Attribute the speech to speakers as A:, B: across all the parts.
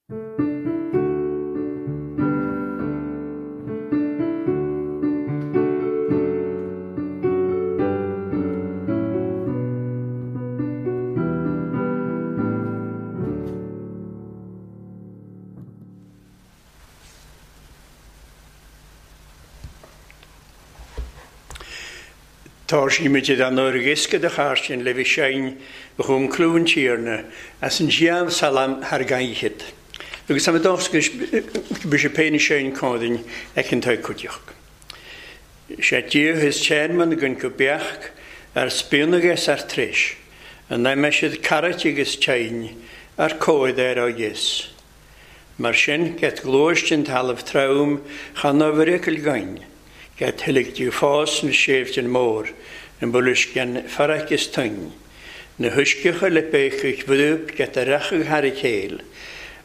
A: Tá sí muid an uirgisce de chairsin le bhí sein chum clún tíorna as an ggéan salam thar gaichid. Agus tá dós bu sé péine sein códain ag an tucuideach. Sé díh is téman gon go beach ar spúnagus ar tris, an na siad carrait agus tein ar cóid ar agus. Mar sin get glóist an talamh trom chan bhricail gain, get thulig dú fás na séimh an mór an buliscean faraic is tuin. Na thuiscecha le béchuich bhrúb get a rachadh thar a chéil,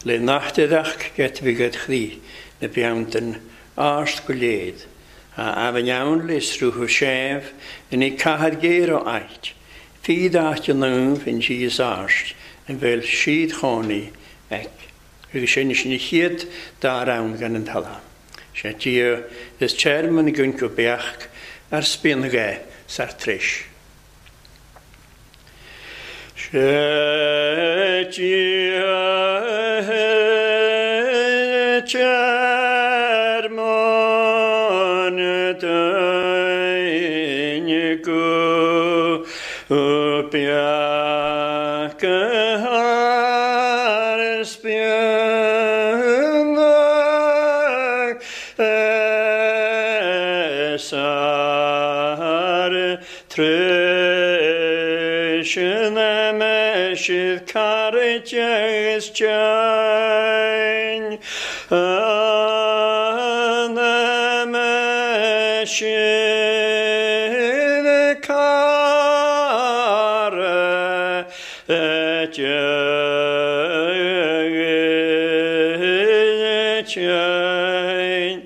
A: le nachtaach get bhí go chrí na beantan ást go léad. A bhain le srúthu séimh in í caiir géar ó áit. Fíd áit an nuh in sí is ást an bhfuil siad chónaí ag. Agus sin sin na chiad dá ran gan an tala. Sé tí is tearman gun go beach ar spíon gé sar tris. Sé tí tearman duine go beach ar spíon ar tris na meisiad carrait agus tein na meisiad carrait agus tein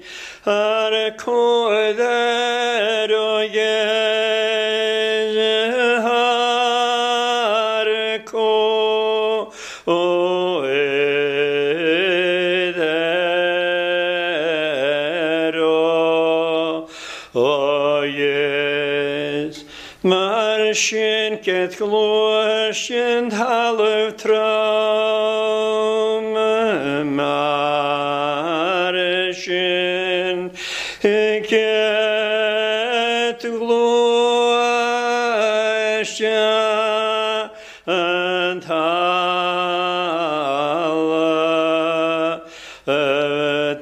A: ar cóid ar agus ar cóid ar agus mar sin get glóis thalamh trom mar sin get glóis an thalamh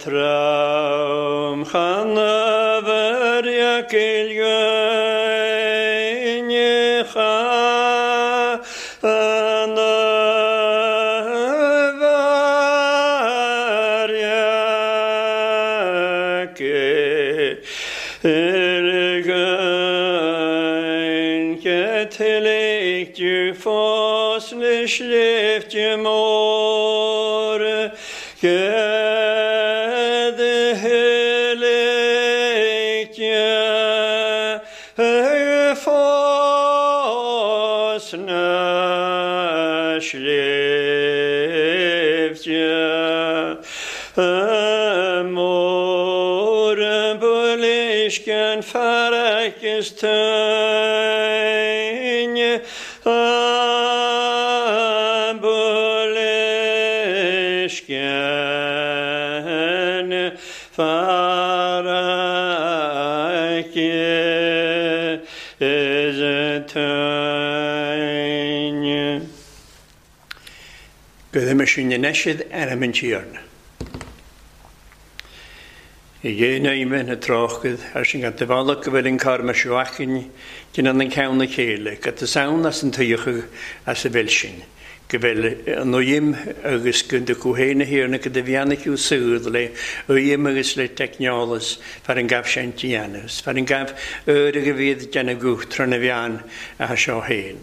A: trom chan bhriacail gaine chan bhriacail gain Catholic du fós le sléibhte mór Catholic du fós na sléibhte mór buliscean faraic is tein buliscean faraic is tein. Go me sin na neisiad ar an tíorna. I dhéanaime na tráchad ar sin gan bhallach go bhfuil an carma seoachan gin an ceann na chéile, go tá san as an tuíocha as a bhfuil sin, go bhfuil an uim agus go de cúhéana hiarna go de bheannaú súd le uim agus le teicneolas far an gabh sin déanamh, far an gabh uair go bhíad déanamh guth na bhean a seo héin.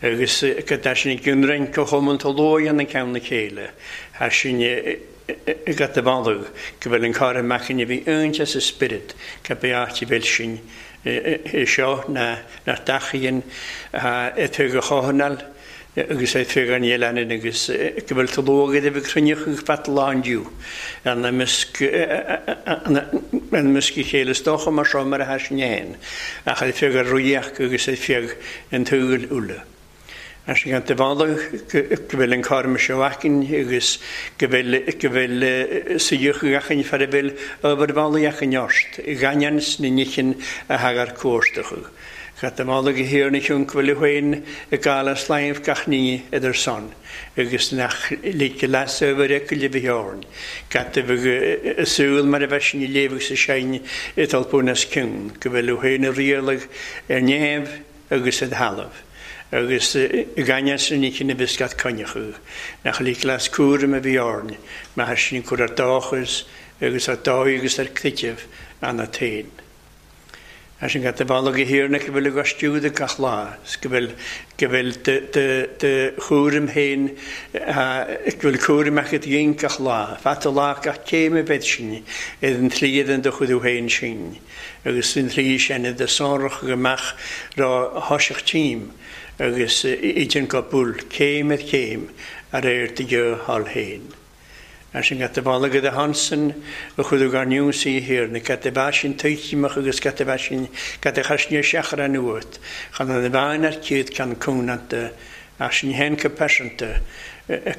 A: Agus go tá sin gunrein go choman tá lóan an ceann na chéile, thar sin gat de bhallach go bhfuil an cara mechain a bhí únte sa spirit go beáte bhfuil sin seo na nach dachaíonn tu go chohanal Agus é fé gan leanann agus go bhfuil tú luath idir bheith cruinneach agus fat lán diú. An measc a chéile is dócha mar seo mar a thaisneáin, ach é fé gur ruíoch agus é fé an tsúil uile. As an de bhalla go bhfuil an carm seo acainn agus go bhfuil go bhfuil suíoch achainn far a bhfuil obair bhallaí achainn ort, gainean na nichin a thagar cuartachadh. Gat de bhalla go hir na ciún go bhfuil féin ag gáil as laimh gach ní idir son, agus nach lig leas obair ag le bhíorn. Gat de bheith súil mar a bheith sin i léamh sa sein i talpún as ciún, go bhfuil féin a rialadh ar neamh agus ar thalamh. Agus gainean na nichin a bhís gat coinneachadh, nach lig leas cúram a bhíorn, mar sin cur ar dóchas agus ar dóigh agus ar cliteamh anna tain. As an gat de bhalla go hir na go bhfuil agus stiúd gach lá, go bhfuil go bhfuil de chúram féin go bhfuil cúram agat dhéin gach lá, fat a lá gach céim a bheith sin ar an tslí den do chuid féin sin, agus an tslí sin de sonrach go mbeadh rá thoiseach tím agus idir go búl céim ar chéim a réir de thall féin. As an gat de bhalla go de Hansen a chuid gar niúsaí thiar na gat de bheith sin tuitimach agus gat de bheith sin gat de chasne seachar an uait, chan an bhean ar céad ceann cúnanta as sin hen go pearsanta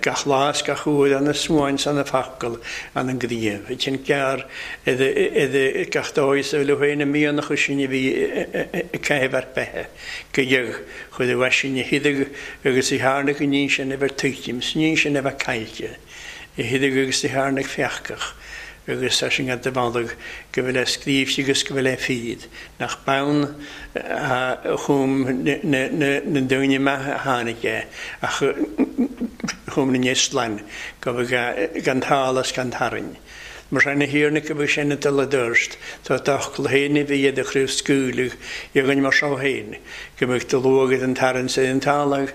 A: gach lá is gach uair an na suain san na focal an an gníomh. I sin cearr idir gach dóigh sa bhfuil féin a mianach sin a bhí ag caitheamh ar beithe, go dheag chuid a bheith sin a hidig agus i tharna go níon sin a bheith tuitim, 's níon sin a bheith caillte. I hidig agus i tharna feachcach, agus tá sin de bhalla go bhfuil é scríobhte agus go bhfuil é fíd, nach bonn chum na daoine maith a tháinig é, ach chum na n-ioslann go bhfuil gan tálas gan tarraing. Mar sin na thiarna go bhfuil sin a dul a dúirt, tá d'fhocal féin a bhí iad a chraobh scaoileadh i gcoinne mar seo féin, go mbeadh do luath an tarraing sa an talamh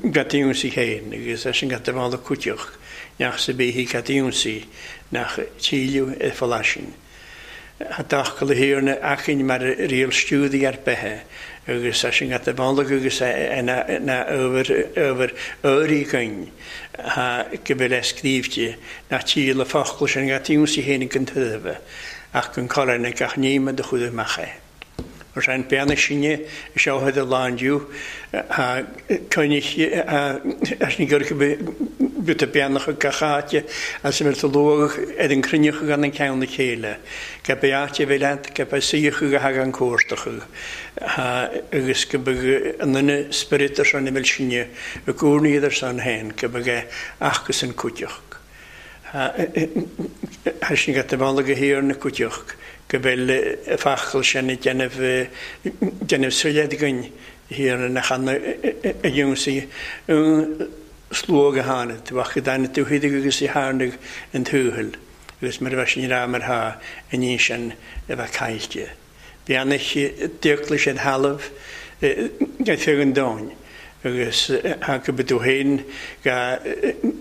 A: gat ionsaí féin, agus é sin gat de bhalla cúiteach, nach sa bíthí gat ionsaí, nach tíliú ar fallaisin. A d'fhocal a thiarna achainn mar riail stiúdaí ar beithe, agus é sin gat de bhalla agus na ábhar áirí gainn, go bhfuil é scríobhte, nach tíl a focal sin gat ionsaí féin ag an tuirbe, ach gan colainn ag gach níma do chuid amach é. Mar sin beanna sinne i seo a lándiú coinnich as ní gur go beannach gach áite as a bhfuil tú luath ar an cruinneach gan an ceann na chéile. Go be áite a bhí leat, go be suíoch go thagann cuartach agus go be an duine spiorad ar son na bhfuil sinne i gcónaí ar son féin, go be achas an cúiteach. Thar sin go bhalla go hir na cúiteach, go bhfuil focal sin ag déanamh soiléir againn thiar na channa a ionsaí un slóg a tháinig, bheadh go dtáinig tú hidig agus i tharnaigh an tuathail, agus mar a bheith sin rá mar thá an ní sin a bheith caillte. Beannach d'fhiacla siad thalamh go feadh an domhain, agus go bhfuil tú féin go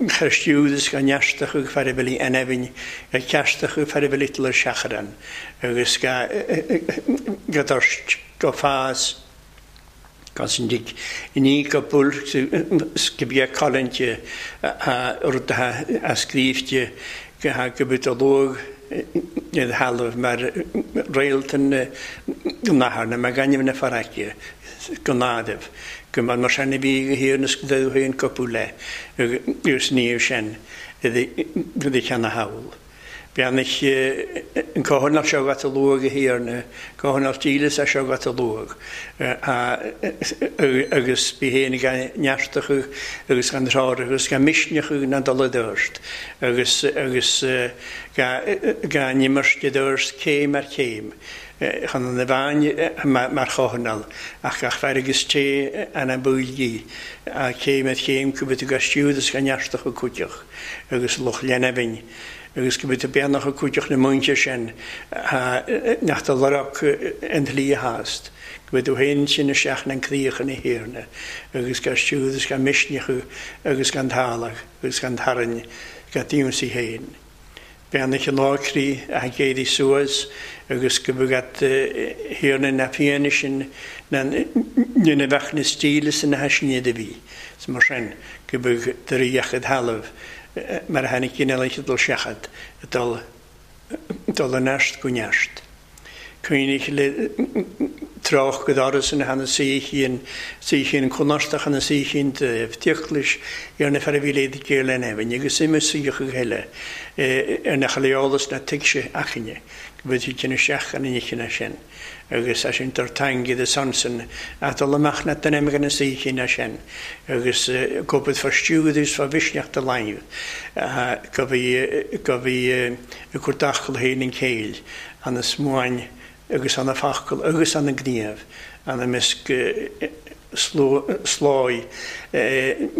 A: chur agus go neartach ag fear a bhfuil an eibhinn, go ceartach ag fear a bhfuil ital ar seachran, agus go dtoirt, go fás, gan sin dig ní go bhfuil go bhí coilinte rud a scríobhte go bhfuil tú luath ar thalamh mar réaltan nathair na mar gainimh na farraige go nádaimh, go mar sin a bhí go hir na scrúdú féin cúpla le agus níor sin i cheann a shamhail. Beannach an cothainneach seo gat a luath go thiarna, cothainneach dílis a seo gat a luath, agus bí féin ag neartach agus gan tráth agus gan misneach na dul a dúirt, agus agus gan imirt a dúirt céim ar chéim, chun an bhean mar chothainneal, ach gach fear agus té an buailgí, céim ar chéim go bhfuil tú stiúd agus gan neartach a cúiteach, agus luch lenabhinn, agus go bhfuil tú beannach a cúiteach na muintir sin nach do lorg an tslí a thást, go bhfuil tú féin sin isteach na críocha na thiarna, agus gan stiúd agus gan misneach agus gan talamh agus gan tarraing gan ionsaí féin. Beannaithe an lácrí a gcéirí suas agus go bhfuil thiarna na fianaise na na bheadh na stíle na haisne a bhí. Is mar sin go bhfuil de ríochad thalamh mar a tháinig cineál dul seachad dul dul neart go neart. Cuimhnigh le trácht go dtaras ina hana suíchin conartach ana suíchin de bhtioclais ar na fear a bhí léad géar le neamhain agus ime suíochadh eile ar na chaleolas na tuigse achaine go bhfuil siad isteach an inchine sin. Agus é sin tar teanga de Samson a dul amach na den na suíchin sin agus go bhfuil fá stiúdus fá mhisneach de láimh go bhí ag cur d'achall féin an chéill ana smuain agus ana fachal agus ana gníomh ana misc sláí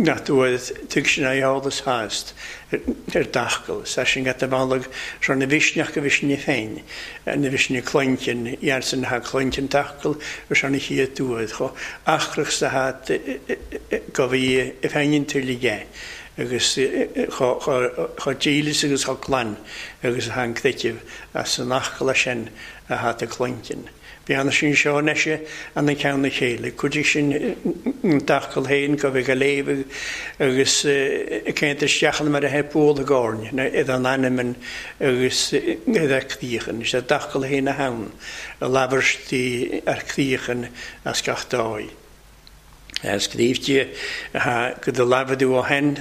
A: nach dúad tug sin eolas hást ar dachal. Sa sin gat a bhalag seo na bhisneach go bhisne féin, na bhisne cluintin, iarsan ha cluintin tachal ar seo na chiad dúad cho achrach sa hat go bhí i féin tuile agus cho dílis agus cho clann agus a han creitimh as an achal sin a hat a cluintin. Bhí sin seo neise an an ceann na chéile, Cuidigh sin dachal féin go bheith go léamh agus céint isteach mar a heap bóla gáirne iad an ainmn agus iad ar críochan. Is é dachal féin a hann a labhairtí ar críochan as gach dóigh. Scríobhte go do labhadú ó hen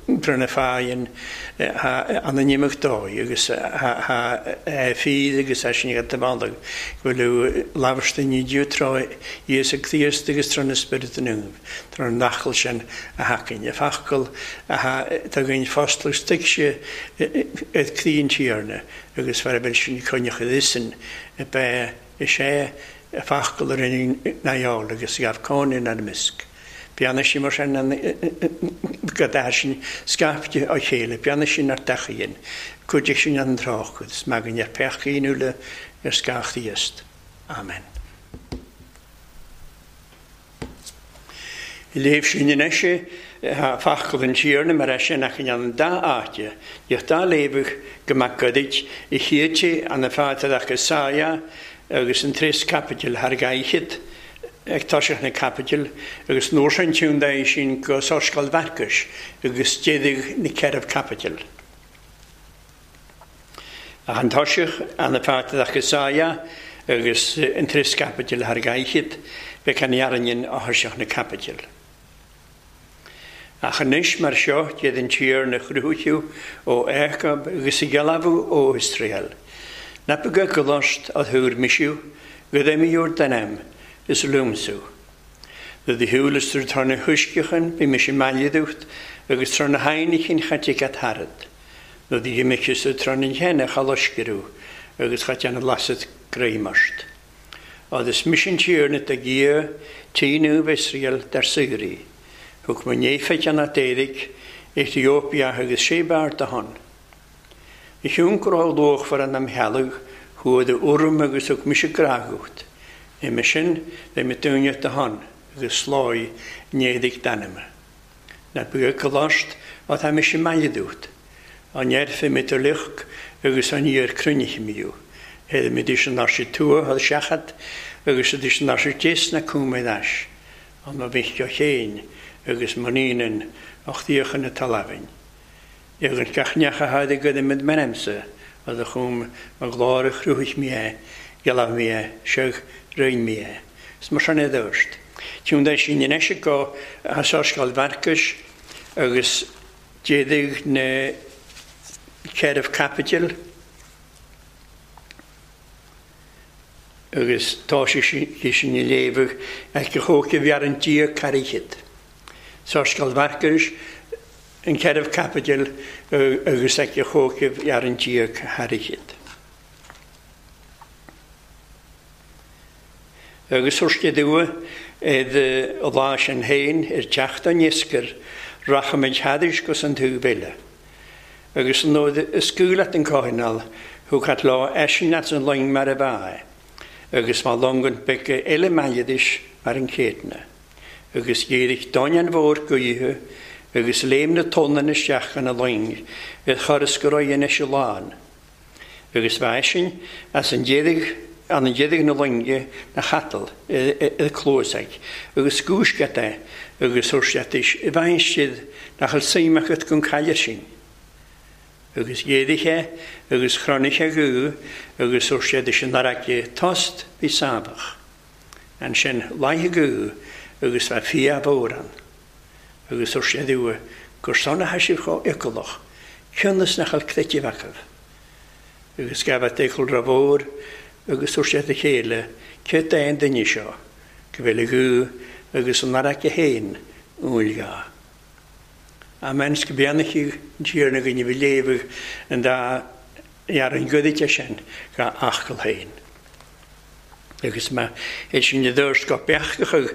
A: brna fáin an an imeacht dóigh agus fíd agus é sin go bhandag go bhfuil labhairte ní dútrá Íosa Críost agus tro na Spiorad Naomh tar an nachal sin a hacain. A fachcal tá ginn fostal tuigse ag croí an Tiarna agus fear a bhfuil sin coinneach isin be is é a fachcal ar an nááil agus gabh cóin ar misc. Beanna sin mar sin go dá sin scaifte á chéile, beanna sin ar dachaíonn, cuidigh sin an tráchad, is magan ar pechcíúla ar scáchtíost. Amen. Léamh sin anois fachcal an Tiarna mar é sin ach an dá áite, Dheich dá léamh go mac godaid i chiaite an na fáilte Isaia agus an tris capitil thar gaichid ag toiseach na capitil agus nuair sin tún dá sin go Sorscáil Mharcais agus déadaigh na ceithre capitil. Ach an toiseach an na fáilte Isaia agus an tris capitil thar gaichid bheith an dhearnain a thoiseach na capitil. Ach anois mar seo déad an Tiarna chruthaithe ó Iacób agus a ghealbhú ó Iosrael. Ná go gcoláist a thuair misiú go dhéimiúr den am is lúmsú. Do do shiúlas tar tar na huisceachan bhí mise mailidúcht agus tar na hainechin chaite at harad. Do do dhimichis tar na cheanna chaloiscearú agus chaite an lasad gréimart. Agus misin Tiarna de Dhia tíú Iosrael dar saoirí. Thug mo néifeid an Éiric, Etiópia agus Sébar de hon. I hiúncar luachmhar an am healach chuad a urm agus thug mise grágúcht. I sin bheith me dúine de hon agus sláí néadaigh d'ainme. Na bu coláist á tá mise mailidúcht. An neirfe mit ar luch agus an iar cruinniche míú. Héad mé dís an sé tua a seachad agus a dís an sé dés na cúma leis. An ma bhí o chéin agus maníonann ochtíochan na talamhain. Ag an gach neach a tháinig go mid menemsa a do chum ma ghlár chrúich mé é, geallamh mé é, seach roinn mé é. Is mar sin é dúirt. Tún dá sin anois go Sorscáil Mharcais agus déadaigh na ceithre capitil agus tá sé sin i léamh ag go chócha bhear an Dia carichid. Sorscáil Mharcais an ceithre capitil agus ag go chócha bhear an Dia carichid. Agus thurste dua id a lá sin féin ar teacht an iascair rachaimid thadis gus an tú bhile. Agus an nód is cúlat an cóineáil thug at lá eisin at an loing mar a bha agus má longan beca eile mailidis mar an chéadna. Agus dhéirigh dain an mhór goíthe agus léim na tonnan isteach an a loing ar churas go raibh anois a lán. Agus bha eisean as an déirigh an an déirigh na loinge na chatal i cluasaigh agus gúisceat é agus thuir siad is i bhfaigheann siad nach bhfuil suim agat gon caille sin. Agus ghéaraigh sé agus chronaigh sé guth agus thuir siad is an fharraige tost bhí sámhach. Ansin laigh guth agus bha fia mhór ann. Agus thuir siad uaidh gur sona tha sibh chomh iocalach cionn is nach bhfuil creideamh acu. Agus gabhadh é chul mhór agus thuir siad a chéile céard é an duine seo go bhfuil a ghuth agus an fharraige féin umhal dhá. Amen 's go beannachaidh an Tiarna againn a bhí léamh an dá fhear an ghoirid sin dhá fhocal féin. Agus má é sin i dtús go beachachadh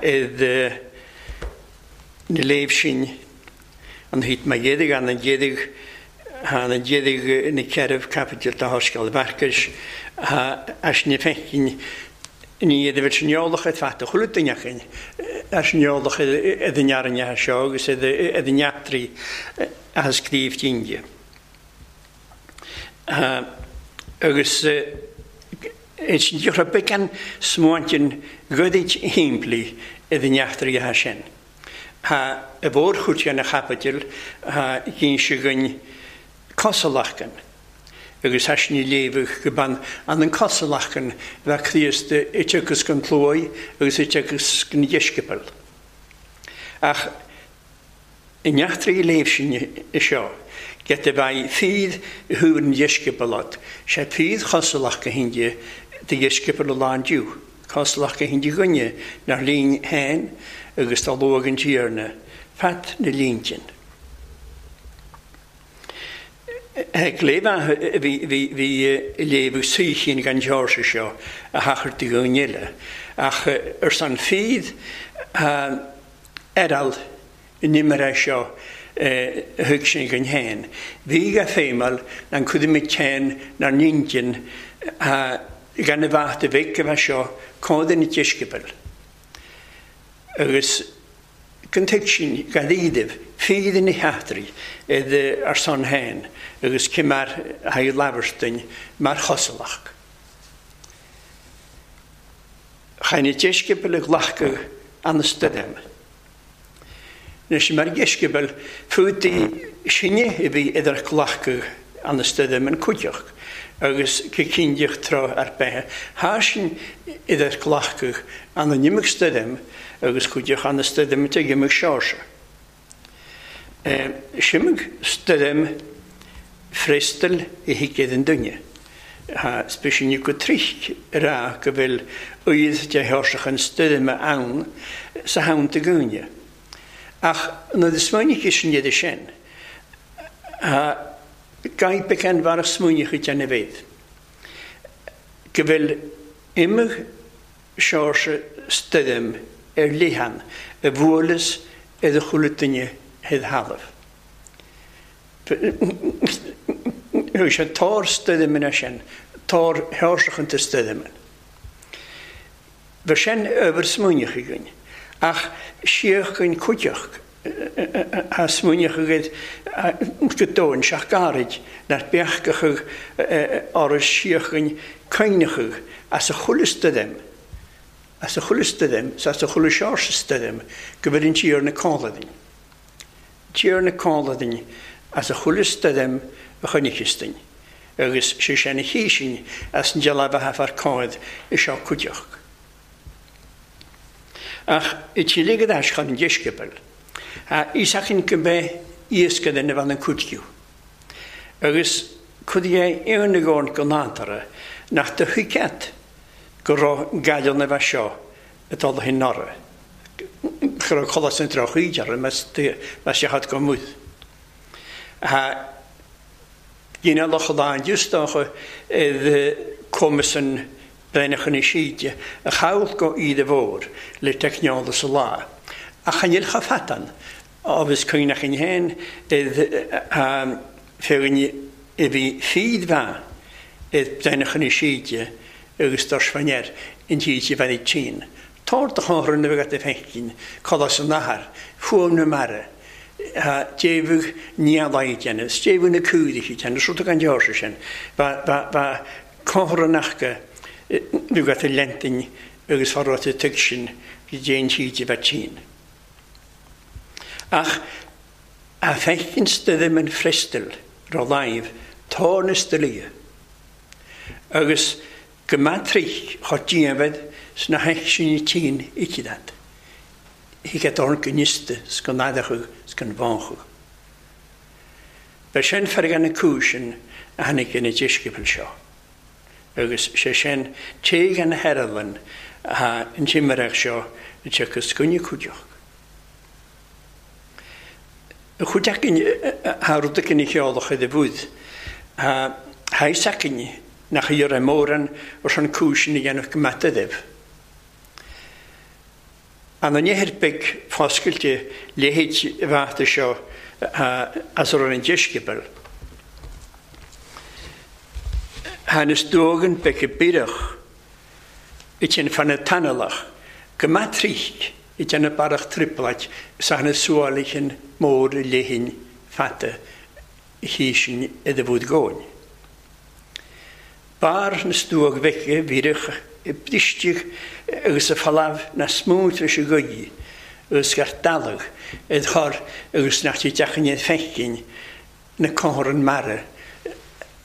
A: id na léamh sin an thit má dhéirigh an an dhéirigh an an dhéirigh na ceithre caipiteal de Shoiscéal Mharcais as na feicinn ní iad a bheith sin eolach ar fad a chuile duine againn as an eolach id an fhearnaithe seo agus id an eachtraí a scríobh d'inge. Agus is diothra beagán smaointeann goirid shimplí id an eachtraí sin. Tá i bhfórchuid na chaipiteal ghin sé againn cosúlachtain agus tá sin léamh go ban an an cosúlachtain bheith Críost iteachas gan tlúi agus iteachas gan dheisceabail. Ach in eachtraí léamh sin i seo, get a bheith fíd thuair an dheisceabalad, sé fíd chosúlach go hindi de dheisceabal a lán diú, cosúlach go hindi gunne nach lín héin agus tá luag an tíorna, fat na líntin. Ag léamh bhí léamh saoithín gan George seo a thachar de dhún eile, ach ar san fíd aral in imre seo thug sin gan héin. Bhí go féimeall an chuid céin nar nintin gan a bheith de bheith go bheith seo cód na deisceabail. Agus gan tuig sin gan ídibh fíd na heachtraí id ar son héin agus cé mar thaigh labharstainn mar chosalach. Chain na deisceabail a ghlacadh an stoirm. Anois mar dheisceabail fútaí sinne a bhí idir glacadh an stoirm an cuideach agus go cinnteach tráth ar bith thá sin idir glacadh an an imig stoirm agus cuideach an stoirm ag imig Seoirse. Simig stoirm freastal i thuigid an duine. Tá speisiúnach go trich rá go bhfuil oíd de Sheoirseach an stoirme ann sa theannta gúine. Ach nuair a smaoinigh sin iad sin, gaib an bhar smaoinigh déanamh iad. Go bhfuil imig Seoirse stoirm ar lithean a bhuaileas ar a chuile duine thid thalamh. Bhí sé tor stoirm sin, tor Sheoirseach an stoirm. Bhí sin obair smaoinigh againn, ach síoch an cuideach a smaoinigh agad go dóin seach gairid nach beachgachadh áras síoch an coinneachadh as a chuile stoirm, as a chuile stoirm, as a chuile Seoirse stoirm, go bhfuil an tír na cáladin. Tír na cáladin as a chuile stoirm a choinneachastain, agus sé sin a chísin as an dealbh a bheith cáid i seo cuideach. Ach i tíle go dais chun an deisceabail, Ísachin go mbeidh iasca na bhean an cuidciú. Agus cuid é aon gcóin go nántara nach de thuiceat go raibh gaile na bheith seo atá le hin nora. Go raibh colas an droch-ídear mas seachad go múd. Gínealach lán diústácha cumas an breithneach na síde a chail go íde mhór le teicneola sa lá. Ach an níl cha fatan agus cuimhneach in héin féachaint i bhí fíd bhean id breithneach na síde agus dois faoin in títe bheith tín. Tor do chóthar na bheith a feiceann colas an athair, fuaim na mara. Déabhadh neamhaidh déanamh, is déabhadh na cúidigh déanamh, is rud gan deoirse sin. Ba, ba, ba comhthorannachta nó go a leintin agus fá raibh tuig sin go dtéann siad a bheith tinn. Ach a feiceann stoirm an freastail ró-láimh tá na stoilithe agus go mbeadh trích chomh dianmhad sna haicsinní tinn ici dat. Thig a dorn go niosta 's go n-adachadh 's go n-bhánchadh. Ba sin fearg na cúiseann a tháinig ina deisceabail seo. Agus sé sin téigh an hearlann atá an timireacht seo a tiocfas coinne cuideachta. Chuid againn thá rud againn a cheolfadh i do bhúd. Thá fhios againn nach iarraidh mórán ar son cúiseanna a dhéanamh go maith daoibh. An an ithir beag foscailte leithéid bhata seo as a raibh an deisceabal. Thá na stuagan beaga bireach i tinn fan na tanalach go maith tríc i déanamh barrach trioblait is ath na suáilchin mór léinn fata chísin i do bhúd góin. Barr na stuag bheice bhíreach i bristigh agus a falamh na smúint leis an gcaoi agus gar dalladh id chor agus nach dtig deachain iad feicin na comhthorrann mara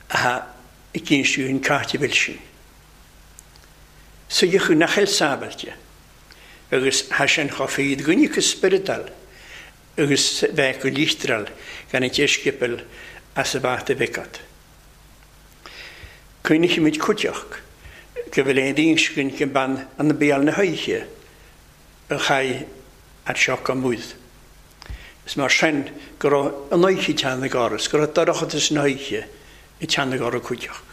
A: atá ag insiú an cáit a bhfuil sin. Suíodh nach eil sábhailte agus thá sin chomh fíd dhuine go spioradal agus bheith go lichtral gan an deisceabail as a bhat a bheith agat. Cuimhnímid cuideachta go bhfuil aon inscne go mbean an béal na hoíche a chaith at seo go múd. Is mar sin go raibh an oíche teann ag áras, go raibh dorchadas na hoíche ag teann ag áras cuideachta.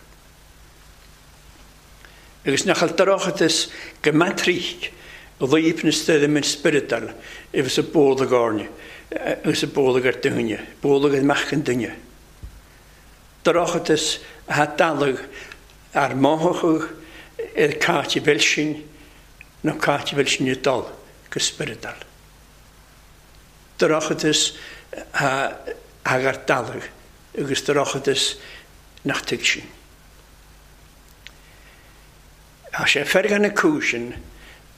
A: Agus nach bhfuil dorchadas go maitríc laoip na stoirm an spioradal agus a bólaigh airne agus a bólaigh ar duine, bólaigh ar mac an duine. Dorchadas atá dalladh ar mhothachadh ar cáit a bhfuil sin nó cáit a bhfuil sin ag dul go spioradal. Dorchadas atá agar dalladh agus dorchadas nach tuig sin. Tá sé fearg na cúiseann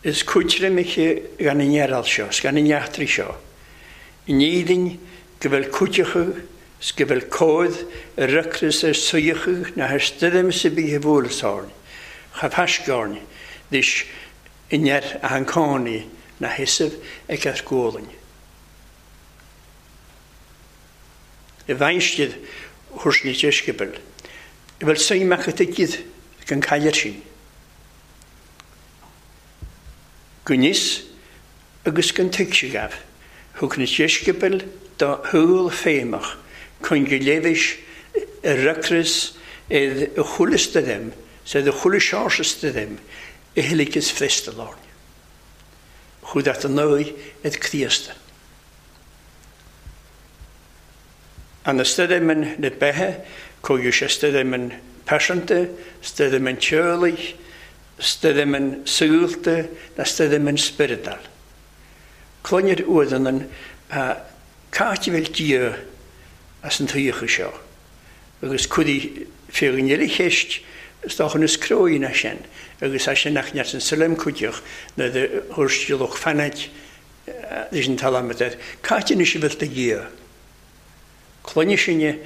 A: is cuidre miche gan an ngearáil seo, is gan an eachtraí seo. In éirinn go bhfuil cuideachadh is go bhfuil cód ar ocras ar suíochadh na ar stoirm sa bíthe bhualas áirn, cha bhfaisceáirn leis i ndear a an cánaí na sheasamh ag ar gualainn. I bhfeinstir thuairs na deisceabail, a bhfuil suim acu tuigid gan cailir sin. Go níos agus gan tuigse gabh, thug na deisceabail do shúil féimach chun go léibhis ar ocras ar a chuile stoirm 's ar a chuile seáirse stoirm a thuilligeas freastal orainn. Chuad at an ndóigh ar Críosta. An stoirmeann na beithe, chuaigh sé stoirmeann pearsanta, stoirmeann teolaigh, stoirmeann saolta na stoirmeann spioradal. Cluinir uaireanna cáit a bhfuil Dia as an tsaoithe seo, agus cuirí féachaint eile cheist is dócha níos cruaí ná sin, agus é sin nach neart an suilim cuideach nuair a thuairisc lucht fanaid leis an talamh air. Cáit anois a bhfuil do Dhia? Cluinne sinne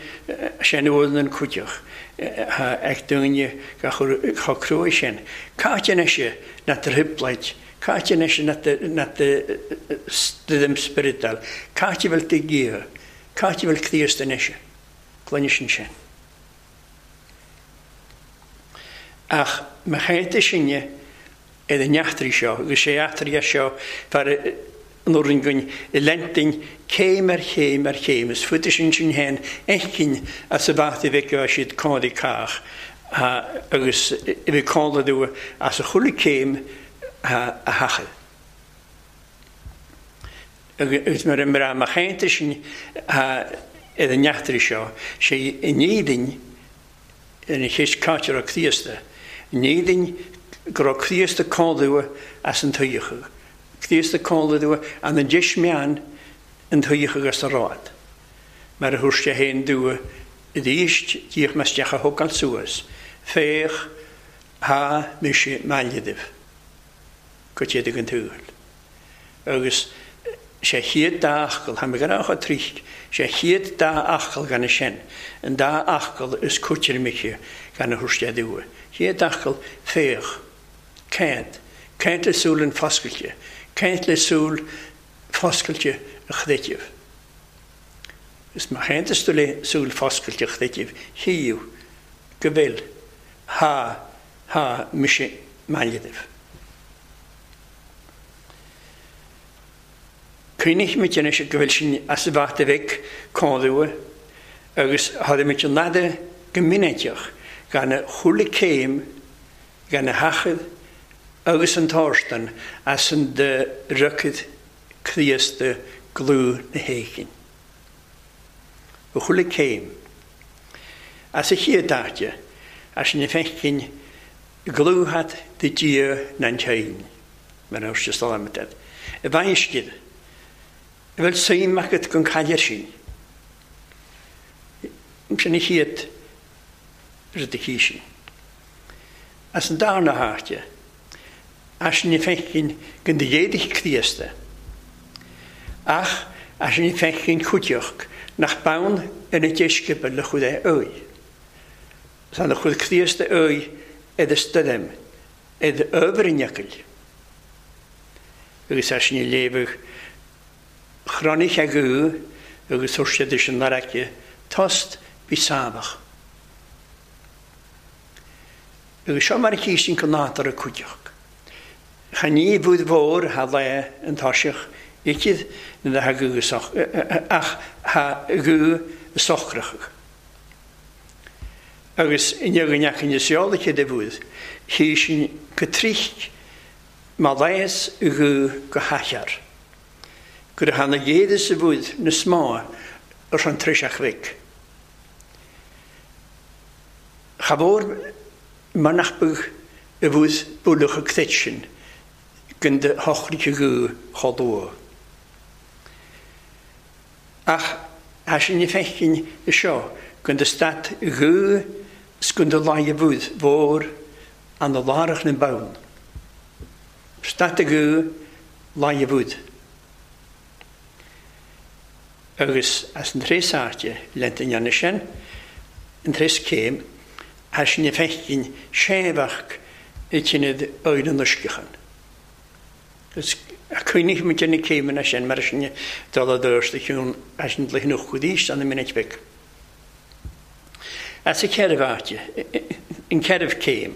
A: sin uaireanna an cuideach ag daoine chomh cruaidh sin. Cáit anois na trioblóid, cáit anois na stoirm spioradal, cáit a bhfuil do Dhia, cáit a bhfuil Críost anois. Cluinne sin sin. Ach mo chainte sinne ar an eachtraí seo, agus sé eachtraí seo fear an orainn againn i Leintin céim ar chéim ar chéim, is fuide sin sin féin fheicinn as a bheacht a bheith go siad cónaí cách agus a bhí cónaí as a chuile céim a thachaill. Agus mar a mbraith mo chainte sin ar an eachtraí seo, sé in Éirinn ar an cheist cáit a raibh Críosta, in Éirinn go raibh Críosta cónrua as an tsaoithe, Críosta cónrua an an deis meán an tuíoch agus a rád, mar a thuair sé féin dua i dtíst díoch maisteach a thógáil suas, féach, thá mise maille daibh, go dtéadaidh an tsaoil. Agus sé chéad dá fhocal, tá mé ag rá chomh trích, sé chéad dá fhocal gan sin, an dá fhocal is coitianta gan a thabhairt sé dua. Chéad fhocal, féach. Caint. Caint le súil an foscailte. Caint le súil foscailte a chreidimh. Is má chaontas tú le súil foscailte a chreidimh, chíodh go bhfuil, thá, thá mise maille daibh. Cuimhnímid anois go bhfuil sinn as an bhfata bheag comhdhúil agus tháimid an fhada go miniceach gan a chuile céim gan a sheachad agus an t-árstan as an do riocaid Críosta dlúth na héiginn. Ó chuile céim. As a chéad áite, as na feicinn dlúthad do Dia nan teinn, mar a dúirt Solomon. I bhfeinscid, a bhfuil suim agat gon caidir sin. Sin a chéad rud a chí sin. As an darna háite, as na feicinn go n-éadaigh Críosta, ach as na feicinn chuideachta nach bonn ar na deisceabail le chuid é uaidh. Tá na chuid Críosta uaidh ar a stoirm, ar ábhar an fhocail. Agus as na léamhadh chronaigh agu agus thuill siad leis an fharraige tost bhí sámhach. Agus seo mar a chísinn go nádúrtha cuideachta. Cha ní bhúd mhór tha lá an toiseach ichid na tha gu ach tha gu socrachadh. Agus inniu go ndeachaigh na seolacha de bhúd, chísinn go trích má leigheas gu go haichear. Gur thána ghéadas a bhúd na smá ar an triseach bhig. Cha mhór mar nach beag a bhúd buaileadh a cruit sin gan de shocraithe gu chomh luath. Ach thá sin na feicinn i seo gan de stat gu 's gan de laighe bhúd mhór ana lárach na bonn. Stat a gu laighe bhúd. Agus as an tréas áite lent an dhéanamh sin, an tréas céim, thá sin na feicinn séimheach i tinnead oidhre an uisceachan. Agus cuimhnigh muid ar na céimeanna sin mar sin dul i dturas do chiúin as an dlí nó chuidís an minic bheag. As a ceithre áite, an ceithre céim,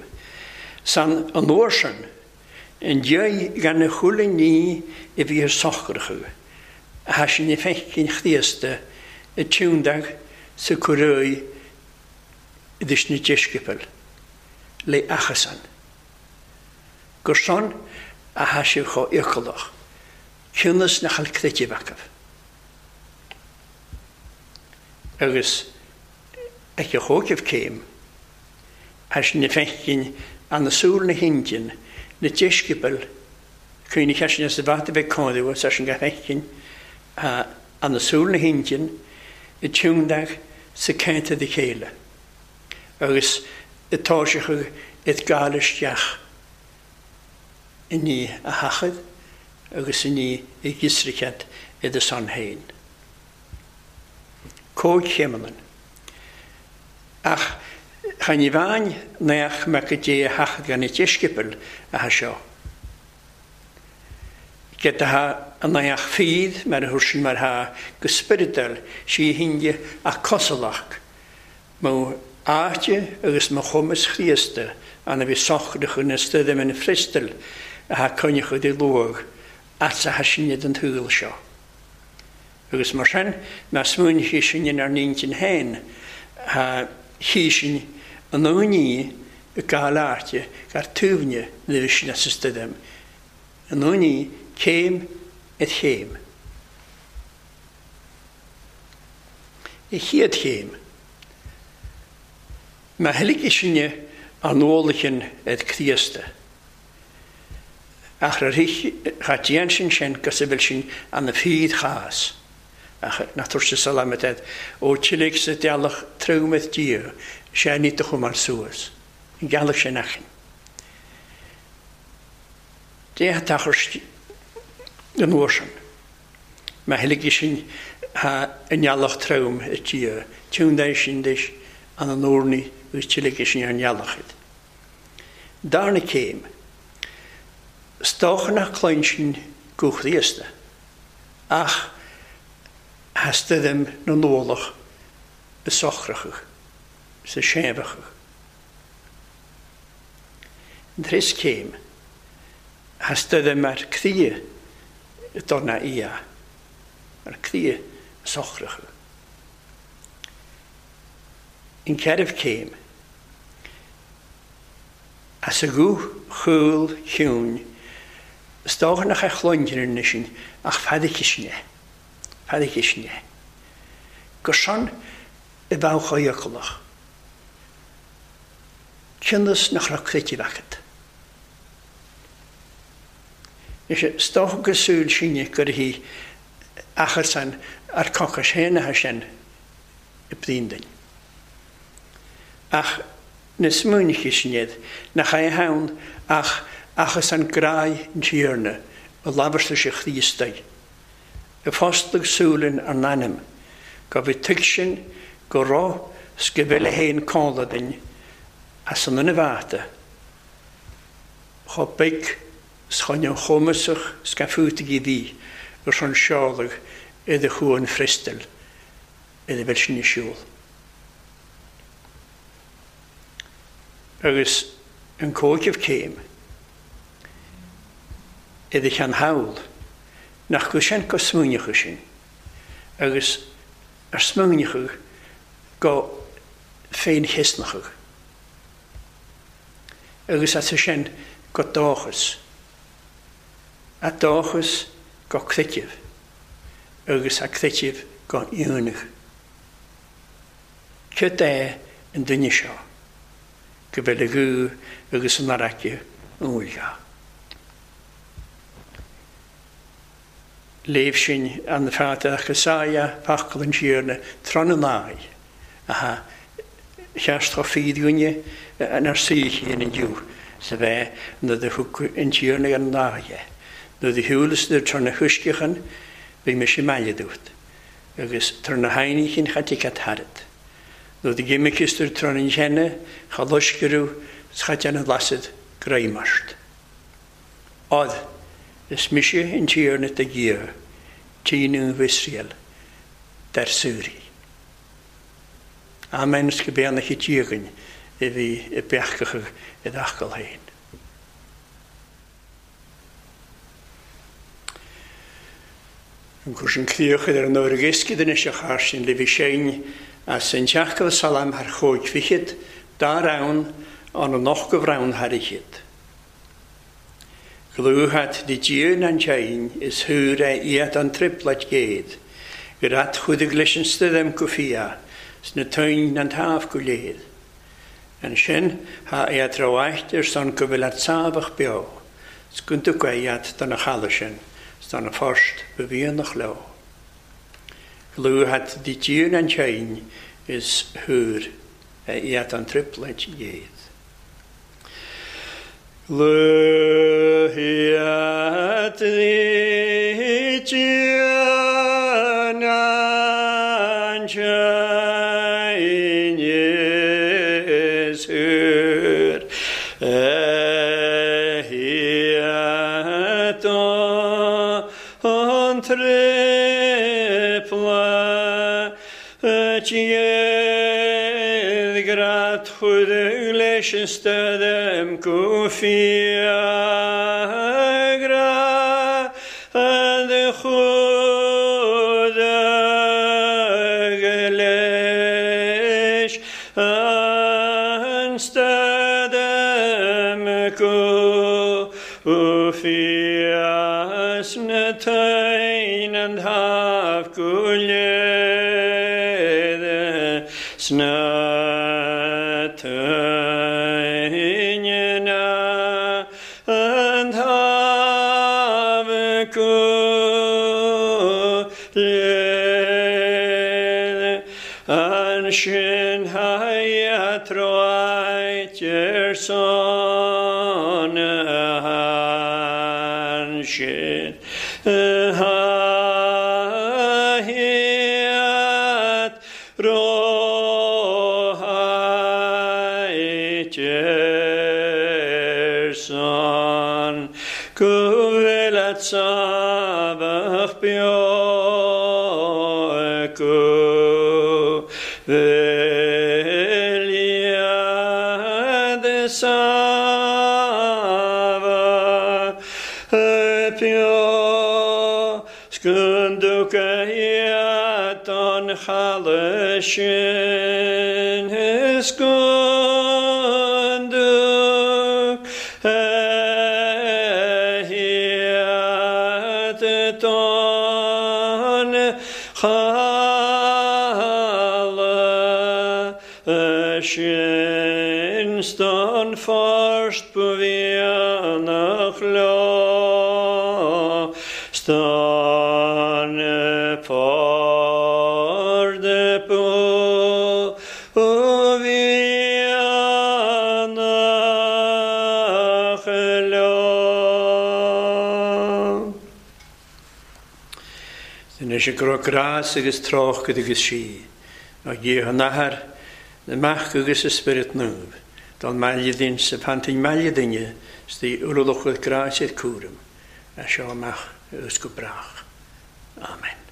A: san an uair sin, an diaidh gan a chuile ní a bhí ar socrachadh, thá sin na feicinn Chríosta a tiúndag sa cuireadh idir na deisceabail le achasan. Gur son a thá sibh chomh iocalach, cionnas nach bhfuil creideamh acu. Agus ag a chóicimh céim, as na feicinn ana súil na hIndin, na deisceabail, cuimhnigh as sin as a bhfad a bheith cáiliú as sin go feicinn ana súil na hIndin, i tiúndag sa ceantar de chéile, agus i táiseachadh it gáil isteach i ndiaidh a sheachad agus i ndiaidh a ghiosrachead i do son féin. Cóigchéimeanna. Ach cha ní bhean nach mbeadh go dté a sheachad gan na deisceabail atá seo. Ged atá an each fíd mar a thuair sin mar thá go spioradal sí hinge ach cosalach mo áite agus mo chumas Chríosta an a bhí socrach ina stoirm ina friostal atá coinneachadh i luadh atsa tha sinne den tsaol seo. Agus mar sin, má smaoinigh sinn inár n-intinn féin, tha chí sinn an uainí i gcáil áite gar taobhne na bhí sin as a stoirm, an uainí céim ar chéim. I chéad chéim, má thuiligh sinne an ualaighin ar Críosta, ach ar cha déan sin sin gus a bhfuil sin ana fíor-chás. Ach nach tabhairt salamat agat ó tilig sa ghealach trom ith Dia, sea ní do chumar suas. An ghealach sin achainn. D'fhéach tachairt an uair sin. Má thuiligidh sin thá an ghealach trom ith Dia, tiúndaigh sin duit an an urnaí agus tiligidh sin ar an ghealach iad. Darna céim. 'S dócha nach cluin sin guth Chríosta. Ach theastaigh na n-ualach i socrachadh, sa séimheachadh. An trios céim, theastaigh mar croidhe dona ia, mar croidhe socrachadh. An ceathramh céim, As a ghuth chúil chiúin, is dócha nach é chluintear anois sinn ach feadaicis sin é, feadaicis sin é. Gur shon i bhfeadh fhiaclach. Cionnas nach raibh creideamh agat. Anois, is dócha gur súil sinne gur hí achar san ar cocais féin atá sin i bprion duinn. Ach na smaoineacha sin iad, nach é ann ach achas an grádh an Tiarna a labhairt leis a Chríostaí, a fostlaigh súilin ár n-anam, go bhfi tuigsin go raibh 's go bhfuil a fhéin cónla duinn as an ionbh ata, chomh beag 's chomh neamhchumasach 's gan fútaigí bhí ar son seoladh idir chuan Phriostal ina bhfuil sin ar siúl. Agus an cóiceamh céim i do cheann thall, nach go sin go smaoineochadh sin, agus ar smaoineochadh go féinchiosnachadh, agus as sin go dóchas, a dóchas go creideamh, agus a creideamh go ionadh. Cad é an duine seo go bhfuil a ghuth agus an fharraige umhal? Léamh sin an feadach is ea focal an Tiarna tráth na n-aghaidh, aha, cheart chomh fírinne inár saoithe in inniu 's a bheith nuair do thug an Tiarna ar an aghaidh é. Nuair do shiúlas idir tor na huisceachan bhí mise maille dút. Agus tar na hainníchin cha dtig tharat. Nuair do dh'imiceastar tar an cheanna cha loisceadh 's cha deanadh lasad greim ort. Odd, is mise an Tiarna do Dhia, Tí Naomh Iosrael, dar saoraí. Amen 's go beannaithe Dia againn a bhí i bpeacachadh i d'fhocal féin. An cur sin críoch ar an uair iascaigh anois a char sin libh sinn as an teach go salam thar chúig fichead dá rann an an och go bhrann thar fhichead. Dlúthad di Dia an tsein is thúr é iad an triplead gcéad gur at chuidigh leis an stoirm go fia sna toinn an taobh go léir. Ansin thá iad rómhaith ar son go bhfuil at sámhach beo, 's go dtuga iad do na chaladh sin 's do na phost ba mhianach leo. Dlúthad di Dia an tsein is thúr é iad an triplead gcéad. Luíodh leis an stoirm go fiagra de chuid leis an stoirm go fia sna toinn an taobh go léir sna toinn an taobh go Ansin haíatráit ar son ansin haíat róháit ar son go bhfuil at sábhach beo go bhfuil iad sábhach beo Skunduka iad an chaladh sin Skunduk iad don chaladh sin Ston forst bhíanach leo Ston ford bhíanach leo. Anois ag rá grás agus trácht agus sí, ná Dia an Athair, na Mac agus a Spiorad Naomh, don mbaile duinn sa phantain mbaile duine 's dí urlachadh grás ar cúram, as seo amach agus go brách. Amen.